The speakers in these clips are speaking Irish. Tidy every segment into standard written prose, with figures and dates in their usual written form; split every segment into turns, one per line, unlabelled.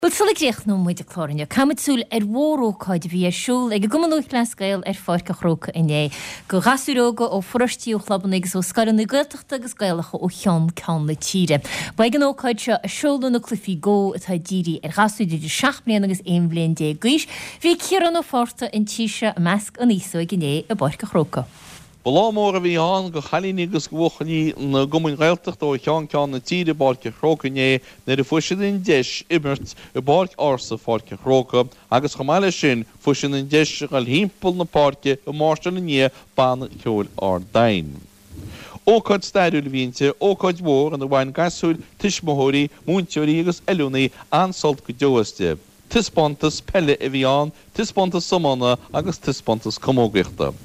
Bhuel, sula gcríochnóidh muid an clár inniu, caithfimid súil ar mhórócáid a bhí ar siúl ag an gCumann Lúthchleas Gael ar Pháirc an Chrócaigh inné. Do ghasúir óga ó pharóistí, ó chlubanna agus ó scoileanna Gaeltachta agus Gaelacha ó cheann ceann na tíre. Ba ag an ócáid seo a seoladh na cluichí Go atá dírithe ar ghasúir idir 7 mbliana agus 11 bhliain d'aois. Bhí Ciarán Ó Fátharta an tí seo i measc an aos óig inné i bPáirc an Chrócaigh.
Ba lá mór a bhí ann do chailíní agus do bhuachaillí na gcumainn Ghaeltachta ó cheann ceann na tíre i bPáirc an Chrócaigh inné nuair a fuair siad an deis imirt i bpáirc ársa Pháirc an Chrócaigh agus chomh maith leis sin fuair siad an deis a dhul thimpeall na páirce ag máirseáil i ndiaidh Banna Ceoil Ard Aidhin. Ócáid stairiúil a bhí inti, ócáid mhór ina bhain gasúir, tuismitheoirí, múinteoirí agus oiliúnaí an-sult go deo aisti. Taispeántas peile a bhí ann, taispeántas iomána agus taispeántas camógaíochta.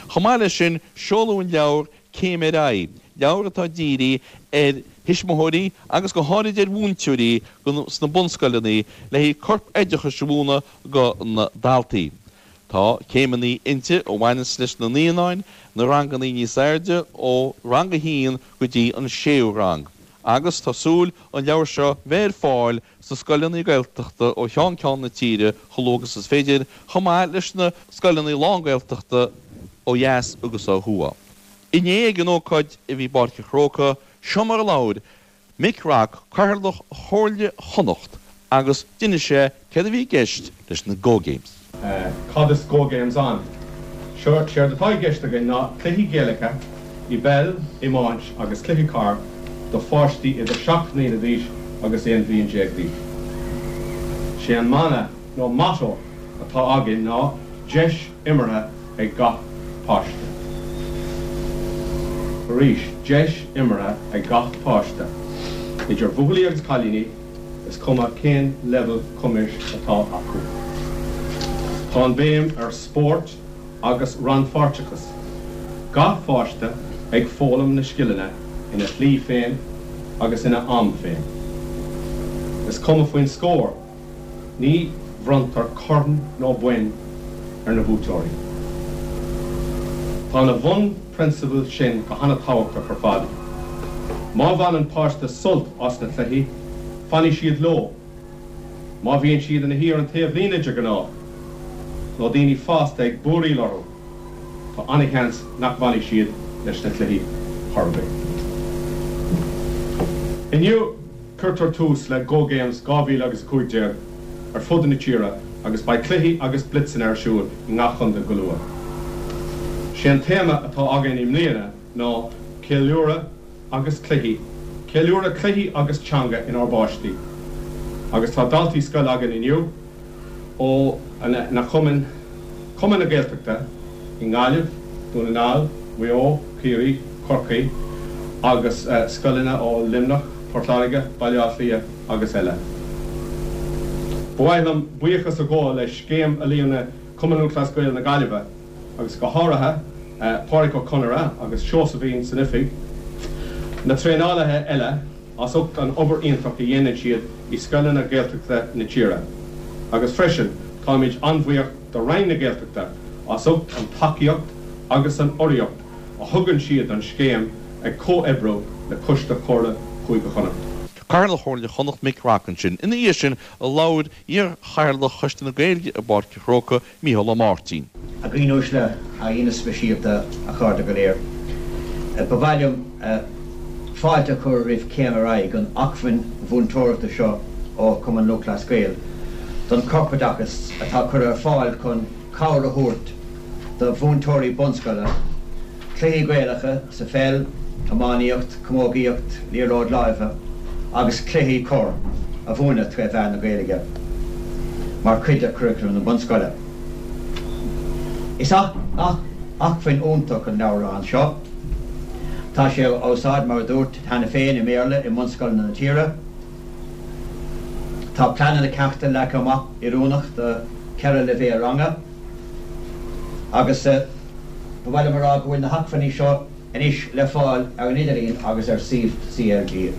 Chomh maith leis sin, seoladh an leabhar Céim ar Aghaidh, leabhar atá dírithe ar thuismitheoirí agus go háirid ar mhúinteoirí sna bunscoileanna le haghaidh corp oideachais a mhúineadh go na daltaí. Tá céimeanna inti a bhaineanns leis na naíonáin, na ranganna níos airde ó rang a haon go dtí an séú rang agus tá súil an leabhar seo bheith ar fáil sna scoileanna Gaeltachta ó cheann ceann na tíre chomh luath agus is féidir, chomh maith leis na scoileanna lán-Ghaeltachta ó dheas agus ó thuaidh. Inné ag an ócáid a bhí i bPáirc an Chrócaigh, seo mar a labhair Mick Rock, Cathaoirleach Chomhairle Chonnacht agus d'inis sé céard a bhí i gceist leis na Go Games.
Cad is Go Games ann? Séard atá i gceist againn ná cluichí Gaelacha i bpeil, iomáint agus cluichí corr do pháistí idir 7 mbliana d'aois agus 11 bhliain d'aois. Sé an mana nó motto atá againn ná deis imeartha ag gach páiste. Arís, deis imeartha ag gach páiste, idir bhuachaillí agus cailíní. Is cuma cén leibhéal cumais atá acu. Tá an béim ar spórt agus rannpháirteachas, gach pháiste ag foghlaim na scileanna ina shlí féin agus ina am féin. Is cuma faoin scór, ní bhronntar corn nó boinn ar na buaiteoirí. Tá na bhunphrionsabail sin go hana-tábhachtach ar fad. Má bhaineann páiste sult as na cluichí, fanfaidh siad leo. Má bhíonn siad ina shuí ar an taobhlíne de ghnáth, nó daoine fásta ag búiríl orthu, tá ana-sheans nach bhfanfaidh siad leis na cluichí chor ar bith. Inniu, Cuirtear tús le Go Games 2015 ar fud na tíre agus beidh cluichí agus blitzeanna ar siúl i ngach chontae go luath. Sé an téama atá againn i mbliana ná Ceiliúradh agus Cluichí, Ceiliúradh Cluichí agus Teanga inár bPáistí agus tá daltaí scoile againn inniu ó na cumainn, Cumann na Gaeltachta i nGaillimh, Dún na nGall, Maigh Eo, Ciarraí, Corcaigh agus scoileanna ó Luimneach, Port Láirge, Baile Átha Cliath agus eile. Ba mhaith liom buíochas a ghabháil le Scéim Oiliúna Chumann Lúthchleas Gael na Gaillimhe agus go háirithe Pádraic Ó Conaire agus Seosaimhín san oifig, na traenálaithe eile, as ucht an obair iontach a dhéanann siad i scoileanna Gaeltachta na tíre agus freisin táimid an-bhuíoch do Roinn na Gaeltachta as ucht an tacaíocht agus an urraíocht a thugann siad don scéim ag comhoibriú le Coiste Chomhairle Chúige Chonnacht.
Cathaoirleach Chomhairle Chonnacht Mick Rock ansin. Ina dhiaidh sin labhair iar-Chathaoirleach Choiste na Gaeilge i bPáirc an Chrócaigh, Mícheál Ó Máirtín.
A dhaoine uaisle, a aíonna speisialta, a chairde go léir. Ba mhaith liom fáilte a chur roimh Céim ar Aghaidh, an acmhainn mhúinteoireachta seo ó Chumann Lúthchleas Gael don chorpoideachas atá curtha ar fáil chun cabhair a thabhairt do mhúinteoirí bunscoile cluichí Gaelacha sa pheil, iománaíocht, camógaíocht, liathróid láimhe agus cluichí corr a mhúineadh tré mheán na Gaeilge mar chuid de churaclam na bunscoile. Is acmhainn iontach an leabhrán seo. Tá sé á úsáid, mar a dúrt cheana féin, i mBéarla i mbunscoileanna na tíre. Tá pleananna ceachta leagtha amach oiriúnach do cheithre leibhéal ranga agus ba mhaith liom a rá go bhfuil na hacmhainní seo anois le fáil ar an idirlíon agus ar suíomh CLG.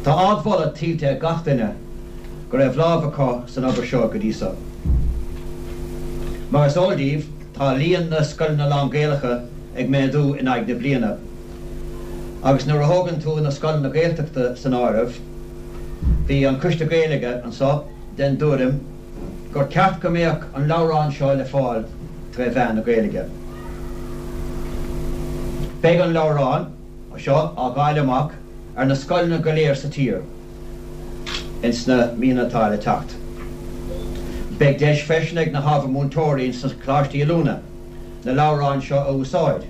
Tá ardmholadh tuillte ag gach duine go raibh lámh acu san obair seo go dtí so. Mar is eol daoibh, tá líon na scoileanna lán-Ghaelacha ag méadú in aghaidh na bliana agus nuair a thógann tú na scoileanna Gaeltachta san áireamh. Bhí an Coiste Gaeilge anso den dtuairim gur ceart go mbeadh an leabhrán seo le fáil tré mheán na Gaeilge. Beidh an leabhrán seo á dháileadh amach ar na scoileanna go léir sa tír ins na míonna atá le teacht. Beidh deis freisin ag na hábhair múinteoirí ins na Coláistí Oiliúna na leabhráin seo a úsáid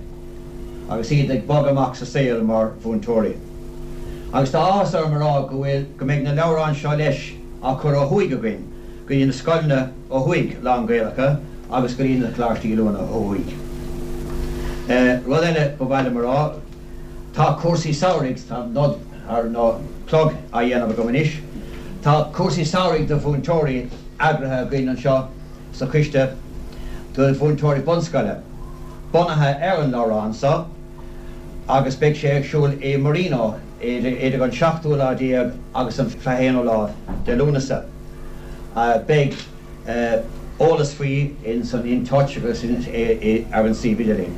agus iad ag bogadh amach sa saol mar mhúinteoirí. Agus tá áthas orm a rá go bhfuil, go mbeidh na leabhráin seo leis á cur ó thuaidh againn go dtí na scoileanna ó thuaidh lán-Ghaelacha agus go dtí na Coláistí Oiliúna ó thuaidh. Rud eile ba mhaith liom a rá, tá cúrsaí samhraidh, tá nod ar, nó plug á dhéanamh agam anois, tá cúrsaí samhraidh do mhúinteoirí eagraithe againn anseo sa choiste do mhúinteoirí bunscoile, bunaithe ar an leabhrán seo agus beidh sé ar siúl i Marino idir an seachtú lá déag agus an 21ú lá de Lúnasa. Beidh eolas faoi ins an In Touch agus ar an suíomh idirlín.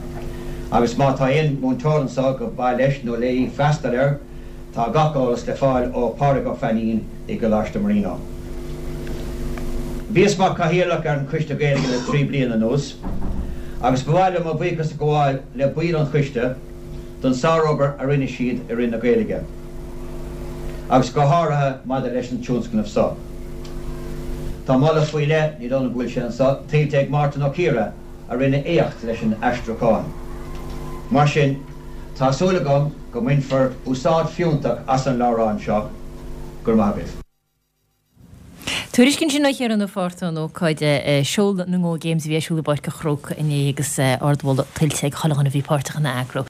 Agus má tá aon mhúinteoir anso go mba mhaith leis nó léi freastal air, Tá gach eolas le fáil ó Pádraig Ó Fainín i gColáiste Marino. Bhíos mar Chathaoirleach ar an Choiste Gaeilge le 3 bliana anuas agus ba mhaith liom mo bhuíochas a ghabháil le baill an choiste don sárobair a rinne siad i rith na Gaeilge agus go háirithe maidir leis an tionscnamh so. Tá moladh faoi leith, ní dóigh liom go bhfuil sé anso, tuillte ag Mártan Ó Ciardha a rinne éacht leis an aistriúchán. Mar sin, tá súil agam go mbainfear úsáid fiúntach as an leabhrán seo. Go raibh maith agaibh.
Tuairisc ansin ó Chiarán Ó Fátharta ón ócáid seoladh na nGo Games a bhí ar siúl i bPáirc an Chrócaigh inné agus ardmholadh tuillte ag chuile dhuine a bhí páirteach ina eagrú.